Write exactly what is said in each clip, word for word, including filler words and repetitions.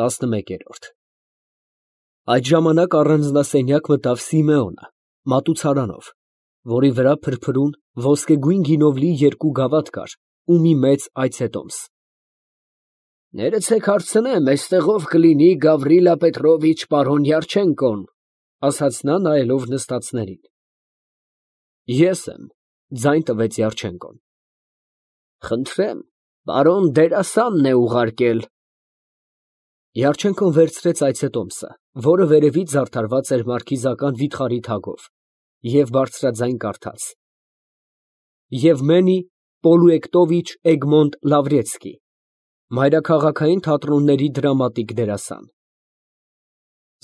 տասնմեկերորդ Այդ ժամանակ առանձնասենյակ մտավ Սիմեոնը, մատուցարանով, որի վրա փրփրուն ոսկեգույն գինով լի երկու գավաթ կար ու մի մեծ այցետոմս։ Ներեցեք հարցնեմ, այստեղով կլինի Գավրիլա Պետրովիչ պարոն Յարչենկոն, ասաց նա նայելով նստածներին։ Ես եմ, ձայն տվեց Յարչենկոն։ Խնդրեմ, պարոն դերասանն է ուղարկել։ Յարչենկոն վերցրեց այցետոմսը, որը վերևից զարդարված էր մարքիզական վիթխարի թագով, և բարձրաձայն կարդաց. Եվմենի Պոլուեկտովիչ Էգմոնտ Լավրեցկի, մայրաքաղաքային թատրոնների դրամատիկ դերասան։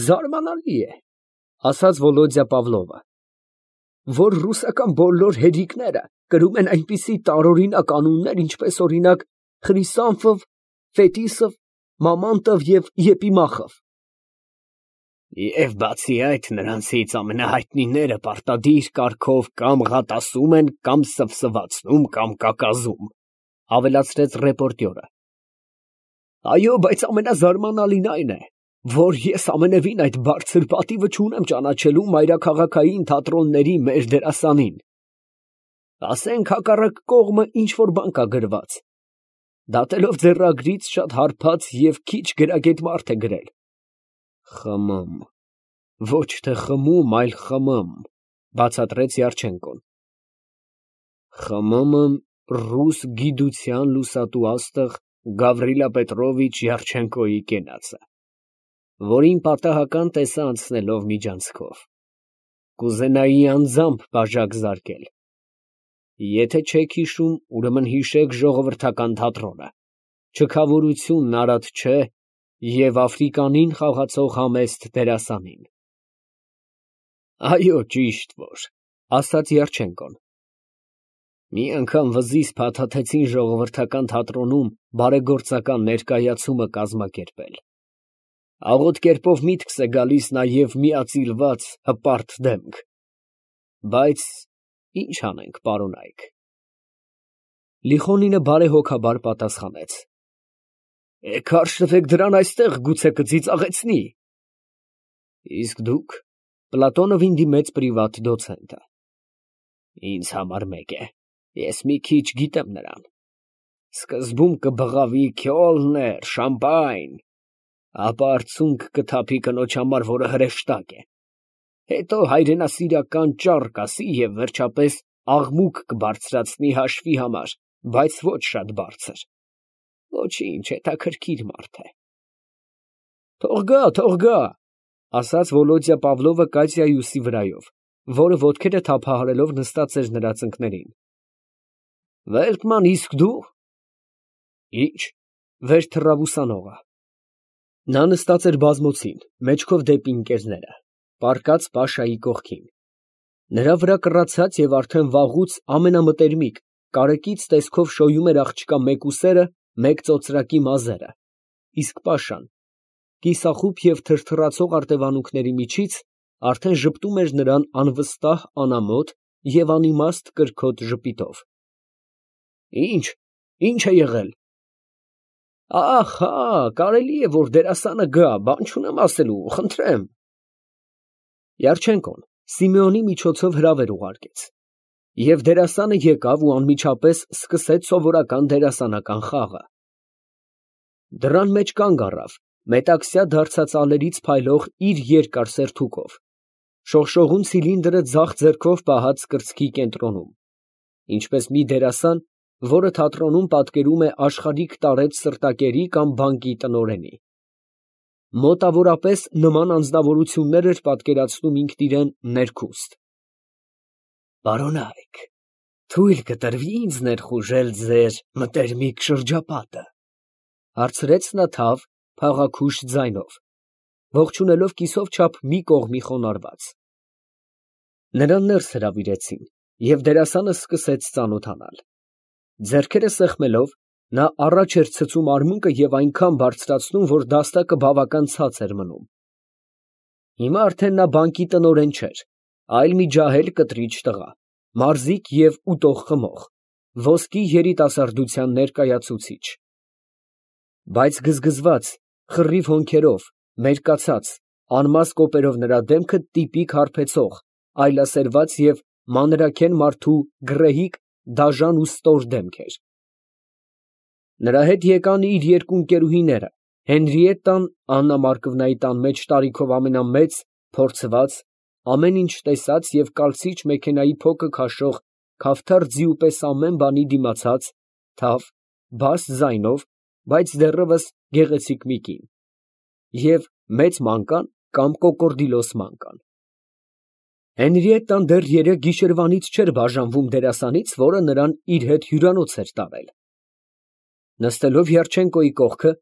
Զարմանալի է, ասաց Վոլոդյա Պավլովը, որ ռուսական բոլոր հերիկները կրում են այնպիսի տարօրինակ անուններ, ինչպես օրինակ Խրիսանֆով, Ֆետիսով, Մամոնտով և Եպիմախով։ Եվ բացի այդ, նրանցից ամենահայտնիները պարտադիր կարգով կամ ղատասում են, կամ սվսվացնում, կամ կակազում, ավելացրեց ռեպորտյորը։ Այո, բայց ամենազարմանալին այն է, որ ես ամենևին այդ բարձր պատիվը չունեմ ճանաչելու մայրաքաղաքային թատրոնների մեր դերասանին։ Ասենք հակառակ կողմը ինչ֊որ բան կա գրված։ Դատելով ձեռագրից շատ հարբած և քիչ գրագետ մարդ է գրել։ Խմմ, ոչ թե խմում, այլ խմմ, բացատրեց Յարչենկոն։ Խմմը ռուս գիտության լուսատու աստղ Գավրիլա Պետրովիչ Յարչենկոյի կենացը, որին պատահական տեսա անցնելով միջանցքով։ Կուզենայի անձամբ բաժակ զարկել։ Եթե չեք հիշում, ուրեմն հիշեք ժողովրդական թատրոնը, չքավորությունն արատ չէ և Աֆրիկանին խաղացող համեստ դերասանին։ Այո, ճիշտ որ, ասաց Յարչենկոն։ Մի անգամ վզից փաթաթեցին ժողովրդական թատրոնում բարեգործական ներկայացումը կազմակերպել։ Աղոտ կերպով միտքս է գալիս նաև միածիլված հպարտ դեմք։ Բայց ինչ անենք, պարոնայք։ Լիխոնինը բարեհոգաբար պատասխանեց. Էգ հարշնվեք դրան այստեղ, գուցե կծիծաղեցնի։ Իսկ դուք, Պլատոնովին դիմեց պրիվատ դոցենտը։ Ինձ համար մեկ է, ես մի քիչ գիտեմ նրան։ Սկզբում կբղավի քյոլներ, շամպայն, ապա արցունք կթափի կնոջ համար, որը հրեշտակ է։ Հետո հայրենասիրական ճառ կասի և վերջապես աղմուկ կբարձրացնի հաշվի համար, բայց ոչ շատ բարձր։ Ոչինչ, հետաքրքիր մարդ է։ Թող գա, թող գա, ասաց Վոլոդյա Պավլովը Կատյայուսի վրայով, որը ոտքերը թափահարելով նստած էր նրա ծնկներին։ Վելտման, իսկ դու։ Ինչ, վեր թռավ ուսանողը։ Նա նստած էր բազմոցին, մեջքով դեպի ընկերները, պառկած Պաշայի կողքին։ Նրա վրա կռացած և արդեն վաղուց ամենամտերմիկ, կարեկից տեսքով շոյում էր աղջկա մեկուսերը, մեկ ծոծրակի մազերը, իսկ Պաշան, կիսախուփ և թրթռացող արտևանքների միջից, արդեն ժպտում էր նրան անվստահ, անամոթ և անիմաստ կրքոտ ժպիտով։ Ինչ, ինչ է եղել։ Ահ, հա, կարելի է, որ դերասանը գա, բան չունեմ ասելու, խնդրեմ։ Յարչենկոն Սիմեոնի միջոցով հրավեր ուղարկեց, և դերասանը եկավ ու անմիջապես սկսեց սովորական դերասանական խաղը։ Դռան մեջ կանգ առավ, մետաքսյա դարձածալերից փայլող իր երկար սերթուկով, շողշողուն ցիլինդրը ձախ ձեռքով պահած կրծքի կենտրոնում, ինչպես մի դերասան, որը թատրոնում պատկերում է աշխարհիկ տարեց սրտակերի կամ բանկի տնօրենի։ Մոտավորապես նման անձնավորություններ էր պատկերացնում ինքն իրեն ներքուստ։ Պարոնայք, թույլ կտրվի ինձ ներխուժել ձեր մտերմիկ շրջապատը, հարցրեց նա թավ, փաղաքուշ ձայնով, ողջունելով կիսով չափ մի կողմի խոնարհված։ Նրան ներս հրավիրեցին, և դերասանը սկսեց ծանոթանալ։ Ձեռքերը սեղմելով, նա առաջ էր ցցում արմունկը և այնքան բարձրացնում, որ դաստակը բավական ցած էր մնում։ Հիմա արդեն նա բանկի տնօրեն չէր, այլ մի ջահել կտրիչ տղա, մարզիկ և ուտող խմող, ոսկի երիտասարդության ներկայացուցիչ։ Բայց գզգզված, խռիվ հոնքերով, մերկացած, անմազ կոպերով նրա դեմքը տիպիկ հարբեցող, այլասերված և մանրաքեն մարդու գռեհիկ, դաժան ու ստոր դեմք էր։ Նրա հետ եկան իր երկու ընկերուհիները, Հենրիետտան, Աննա Մարկովնայի տան մեջ տարիքով ամենամեծ, փորձված, ամեն ինչ տեսած և կալցիչ մեքենայի փոքր քաշող, քավթար ձիու պես ամեն բանի դիմացած, թավ, բաս ձայնով, բայց դեռևս գեղեցիկ մի կին, և մեծ մանկան կամ կոկորդիլոս մանկան։ Հենրիետտան դեռ երեկ գիշերվանից չէր բաժանվում դերասանից, որը նրան իր հետ հյուրանոց էր տարել։ Նստելով Յարչենկոյի կողքը,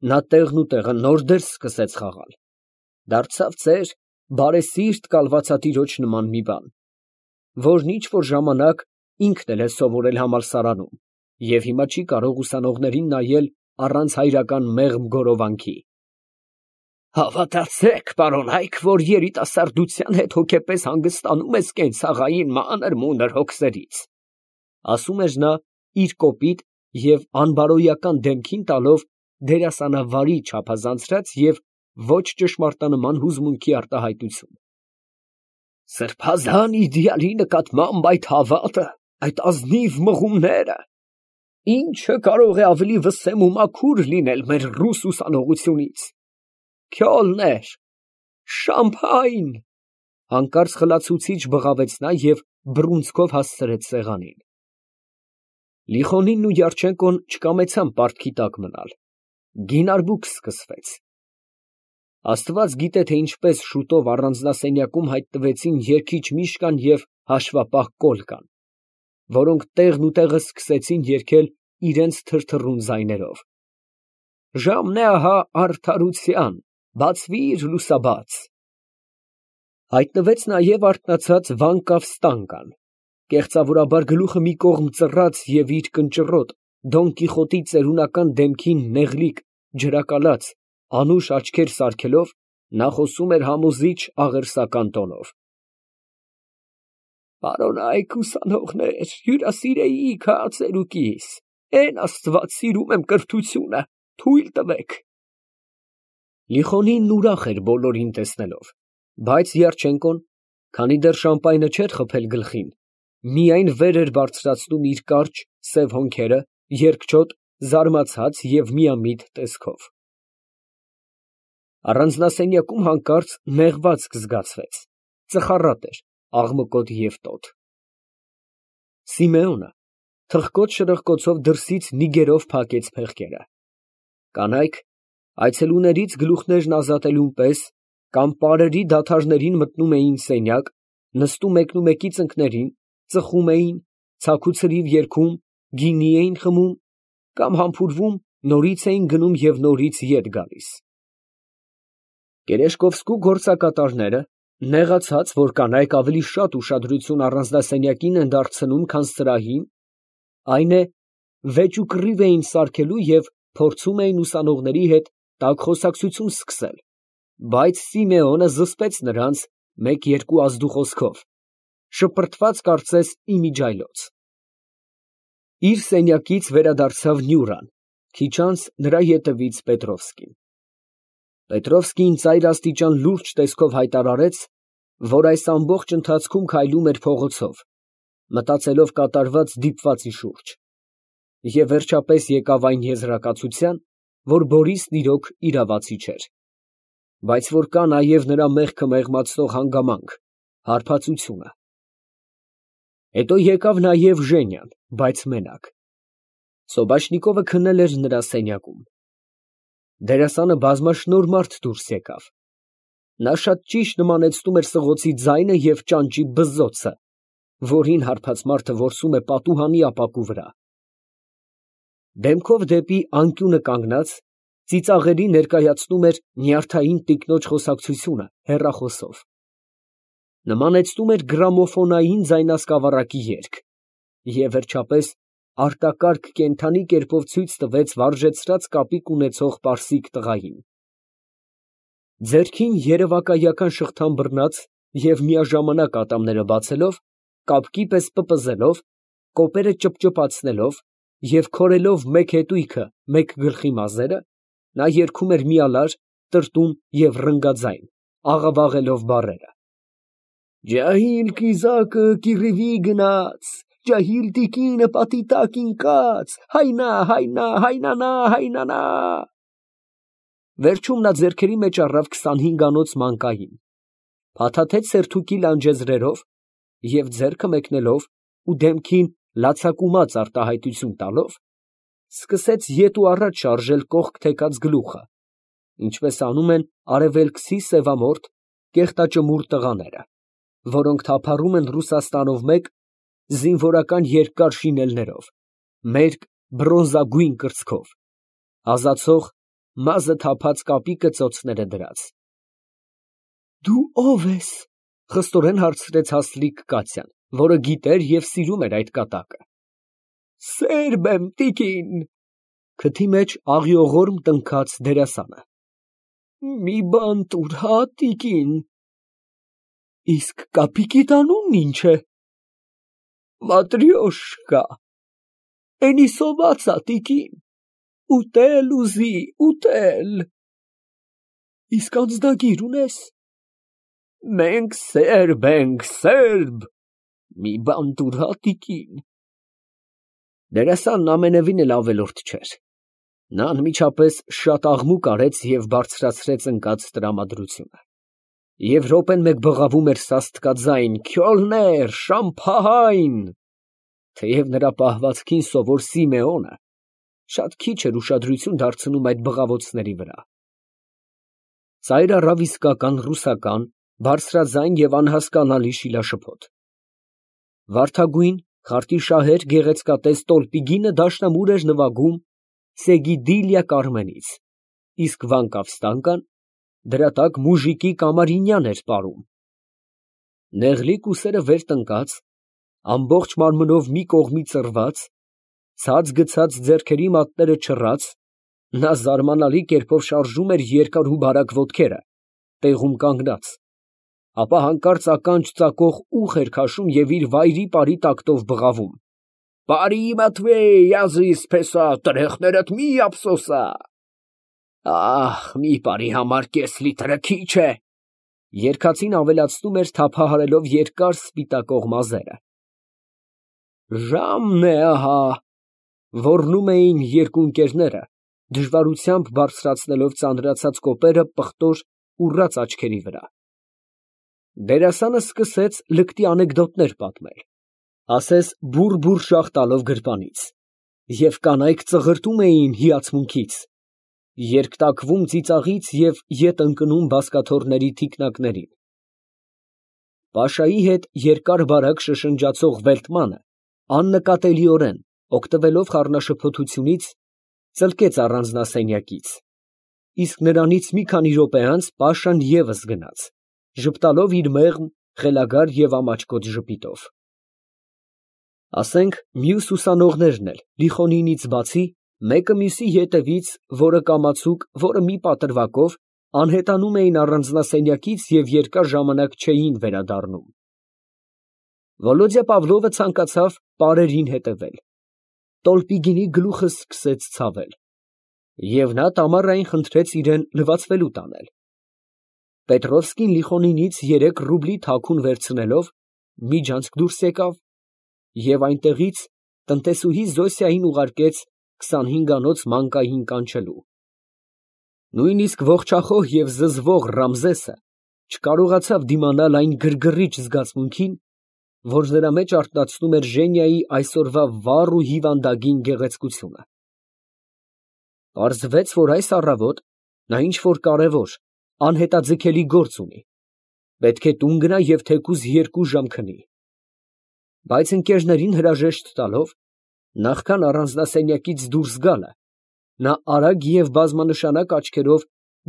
նա տեղն ու տեղը նոր դերս սկսեց խաղալ, դարձավ ծեր, բարեսիրտ կալվածատիրոջ նման մի բան, որն ինչ֊որ ժամանակ ինքն էլ է սովորել համալսարանում և հիմա չի կարող ուսանողներին նայել առանց հայրական մեղմ գորովանքի։ Հավատացեք, պարոնայք, որ երիտասարդության հետ հոգեպես հանգստանում ես կենցաղային մանր֊մունր հոգսերից, ասում էր նա իր կոպիտ և անբարոյական դեմքին տալով դերասանավարի չափազանցրած և ոչ ճշմարտանման հուզմունքի արտահայտություն։ Սրբազան իդեալի նկատմամբ այդ հավատը, այդ ազնիվ մղումները, ի՞նչը կարող է ավելի վսեմ ու մաքուր լինել մեր ռուս ուսանողությունից։ Քյոլներ, շամփայն… Հանկարծ խլացուցիչ բղավեց նա և բռունցքով հասցրեց սեղանին։ Լիխոնինն ու Յարչենկոն չկամեցան պարտքի տակ մնալ։ Գին արբուք սկսվեց։ Աստված գիտե, թե ինչպես շուտով առանձնասենյակում հայտնվեցին երգիչ Միշկան և հաշվապահ Կոլկան, որոնք տեղն ու տեղը սկսեցին երգել իրենց թրթռուն ձայներով. Ժամն է ահա արդարության, բացվի՛ր լուսաբաց… Հայտնվեց նաև արթնացած Վանկավ Ստանկան, կեղծավորաբար գլուխը մի կողմ ծռած և իր կնճռոտ, Դոն Կիխոտի ծերունական դեմքին նեղլիկ, ջրակալած, անուշ աչքեր սարքելով, նա խոսում էր համոզիչ աղերսական տոնով. Պարոնայք ուսանողներ, հյուրասիրեիք հա ծերուկիս, էն աստված սիրում եմ կրթությունը, թույլ տվեք… Լիխոնինն ուրախ էր բոլորին տեսնելով, բայց Յարչենկոն, քանի դեռ շամպայնը չէր խփել գլխին, միայն վեր էր բարձրացնում իր կարճ, սև հոնքերը, երկչոտ, զարմացած և միամիտ տեսքով։ Առանձնասենյակում հանկարծ նեղվածք զգացվեց, ծխառատ էր, աղմկոտ և տոտ… Սիմեոնը թխկոց֊շրխկոցով դրսից նիգերով փակեց փեղկերը։ Կանայք, այցելուներից գլուխներն ազատելուն պես, կամ պարերի դադարներին մտնում էին սենյակ, նստում մեկնումեկի ծնկներին, ծխում էին, ցաքուցրիվ երգում, գինի էին խմում, կամ համբուրվում, նորից էին գնում և նորից ետ գալիս։ Գերեշկովսկու գործակատարները, նեղացած, որ կանայք ավելի շատ ուշադրություն առանձնասենյակին են դարձնում, քան սրահին, այն է, վեճ ու կռիվ էին սարքելու և փորձում էին ուսանողների հետ տաք խոսակցություն սկսել, բայց Սիմեոնը զսպեց նրանց մեկ֊երկու ազդուխոսքով, շպրտված կարծես իմիջիայլոց։ Իր սենյակից վերադարձավ Նյուրան, քիչ անց նրա ետևից Պետրովսկին։ Պետրովսկին ծայրաստիճան լուրջ տեսքով հայտարարեց, որ այս ամբողջ ընթացքում քայլում էր փողոցով, մտածելով կատարված դիպվածի շուրջ, և վերջապես եկավ այն եզրակացության, որ Բորիսն իրոք իրավացի չէր, բայց որ կա նաև նրա մեղքը մեղմացնող հանգամանք, հարբածությունը։ Հետո եկավ նաև Ժենյան, բայց մենակ։ Սոբաշնիկովը քնել էր նրա սենյակում։ Դերասանը բազմաշնորհ մարդ դուրս եկավ։ Նա շատ ճիշտ նմանեցնում էր սղոցի ձայնը և ճանճի բզզոցը, որին հարբած մարդը որսում է պատուհանի ապակու վրա։ Դեմքով դեպի անկյունը կանգնած, ծիծաղելի ներկայացնում էր նյարդային տիկնոջ խոսակցությունը հեռախոսով։ Նմանեցնում էր գրամոֆոնային ձայնասկավառակի երգ և, վերջապես, արտակարգ կենդանի կերպով ցույց տվեց վարժեցրած կապիկ ունեցող պարսիկ տղային։ Ձեռքին երևակայական շղթան բռնած և միաժամանակ ատամները բացելով, կապկի պես պպզելով, կոպերը ճպճպացնելով և քորելով մեկ հետույքը մեկ գլխի մազերը, Նա երգում էր միալար, տրտում և ռնգաձայն, աղավաղելով բառերը. Ջահիլ կիզակը կիռիվի գնաց, ջահիլ տիկինը պատի տակ ընկած, հայնա, հայնա, հայնանա, հայնանա… Վերջում նա ձեռքերի մեջ առավ քսանհինգանոց մանկային, փաթաթեց սերթուկի լանջեզրերով և ձեռքը մեկնելով ու դեմքին լացակումած արտահայտություն տալով, սկսեց ետ ու առաջ շարժել կողք թեքած գլուխը, ինչպես անում են արևելքցի սևամորթ, կեղտաճմուռ տղաները, որոնք թափառում են Ռուսաստանով մեկ զինվորական երկար շինելներով, մերկ բրոնզագույն կրծքով, ազացող մազը թափած կապի կծոցները դրած։ Դու ո՞վ ես, խստորեն հարցրեց հաստլիկ Կատյան, որը գիտեր և սիրում էր այդ կատակը։ Սերբ եմ, տիկին, քթի մեջ աղիողորմ տնքաց դերասանը։ Մի բան տուր, հա, տիկին։ Իսկ կապիկիդ անունն ինչ է։ Մատրյոշկա։ Էնի սովածա, տիկին, ուտել ուզի, ուտել։ Իսկ անձնագիր ունես։ Մենք սերբ ենք, սերբ։ Մի բան տուր, հա, տիկին։ Դերասանն ամենևին էլ ավելորդ չէր։ Նա անմիջապես շատ աղմուկ արեց և բարձրացրեց ընկած տրամադրությունը։ Եվ րոպեն մեկ բղավում էր սաստկաձայն Քյոլներ, շամփահայն… Թեև նրա պահվածքին սովոր Սիմեոնը շատ քիչ էր ուշադրություն դարձնում այդ բղավոցների վրա։ Ծայր առավ իսկական ռուսական, բարձրաձայն և անհասկանալի շիլաշփոթ։ Վարդագույն, խարտի շահեր գեղեցկատես տոլպի գինը դաշնամուր էր նվագում Սեգիդիլյա Կարմենից, իսկ վանկավ դրա տակ մուժիկի կամարինյան էր պարում։ Նեղլիկ ուսերը վեր տնկած, ամբողջ մարմնով մի կողմի ծռված, ցած գցած ձեռքերի մատները չռած, նա զարմանալի կերպով շարժում էր երկար ու բարակ ոտքերը, տեղում կանգնած, ապա հանկարծ ականջ ծակող ուղ էր քաշում և իր վայրի պարի տակտով բղավում. Բարի Մատվեյ, յազիս փեսա, տրեխներդ մի ափսոսա։ Ահ, մի պարի համար կես լիտրը քիչ է։ Երգացին ավելացնում էր թափահարելով երկար սպիտակող մազերը։ Ժամն է ահա, ոռնում էին երկու ընկերները, դժվարությամբ բարձրացնելով ծանրացած կոպերը պղտոր ուռած աչքերի վրա։ Դերասանը սկսեց լկտի անեկդոտներ պատմել, ասես բուռ֊բուռ շաղ տալով գրպանից, և կանայք ծղրտում էին հիացմունքից, երկտակվում ծիծաղից և ետ ընկնում բազկաթոռների թիկնակներին։ Պաշայի հետ երկար֊բարակ շշնջացող Վելտմանը աննկատելիորեն, օգտվելով խառնաշփոթությունից, ծլկեց առանձնասենյակից, իսկ նրանից մի քանի րոպե անց Պաշան ևս գնաց, ժպտալով իր մեղմ, խելագար և ամաչկոտ ժպիտով։ Ասենք մյուս ուսանողներն էլ Լիխոնինից բացի, մեկը մյուսի ետևից, որը կամացուկ, որը մի պատրվակով, անհետանում էին առանձնասենյակից և երկար ժամանակ չէին վերադառնում։ Վոլոդյա Պավլովը ցանկացավ պարերին հետևել, տոլպի գինի գլուխը սկսեց ցավել, և նա տամառային խնդրեց իրան լվացվելու տանել։ Պետրովսկին Լիխոնինից երեք ռուբլի թաքուն վերցնելով, միջանցք դուրս եկավ և այնտեղից տնտեսուհի Զոսիային ուղարկեց քսանհինգանոց մանկային կանչելու։ Նույնիսկ ողջախոհ և զզվող Ռամզեսը չկարողացավ դիմանալ այն գրգռիչ զգացմունքին, որ նրա մեջ արթնացնում էր Ժենիայի այսօրվա վառ ու հիվանդագին գեղեցկությունը։ Պարզվեց, որ այս առավոտ նա ինչ֊որ կարևոր, անհետաձգելի գործ ունի, պետք է տուն գնա և թեկուզ երկու ժամ քնի։ Բայց ընկերներին հրաժեշտ տալով, նախքան առանձնասենյակից դուրս գալը, նա արագ և բազմանշանակ աչքերով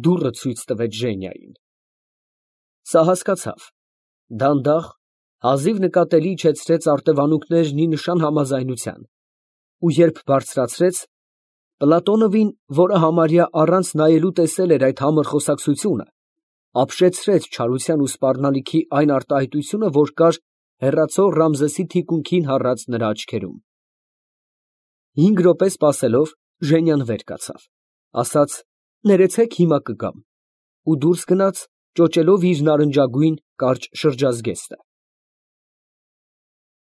դուռը ցույց տվեց Ժենիային։ Սա հասկացավ, դանդաղ, հազիվ նկատելի իջեցրեց արտևանունքներն ի նշան համաձայնության, ու երբ բարձրացրեց, Պլատոնովին, որը համարյա առանց նայելու տեսել էր այդ համր խոսակցությունը, ապշեցրեց չարության ու սպառնալիքի այն արտահայտությունը, որ կար հեռացող Ռամզեսի թիկունքին հառած նրա աչքերում։ Հինգ րոպե սպասելով, Ժենյան վեր կացավ, ասաց. Ներեցեք, հիմա կգամ։ Ու դուրս գնաց, ճոճելով իր նարնջագույն կարճ շրջազգեստը։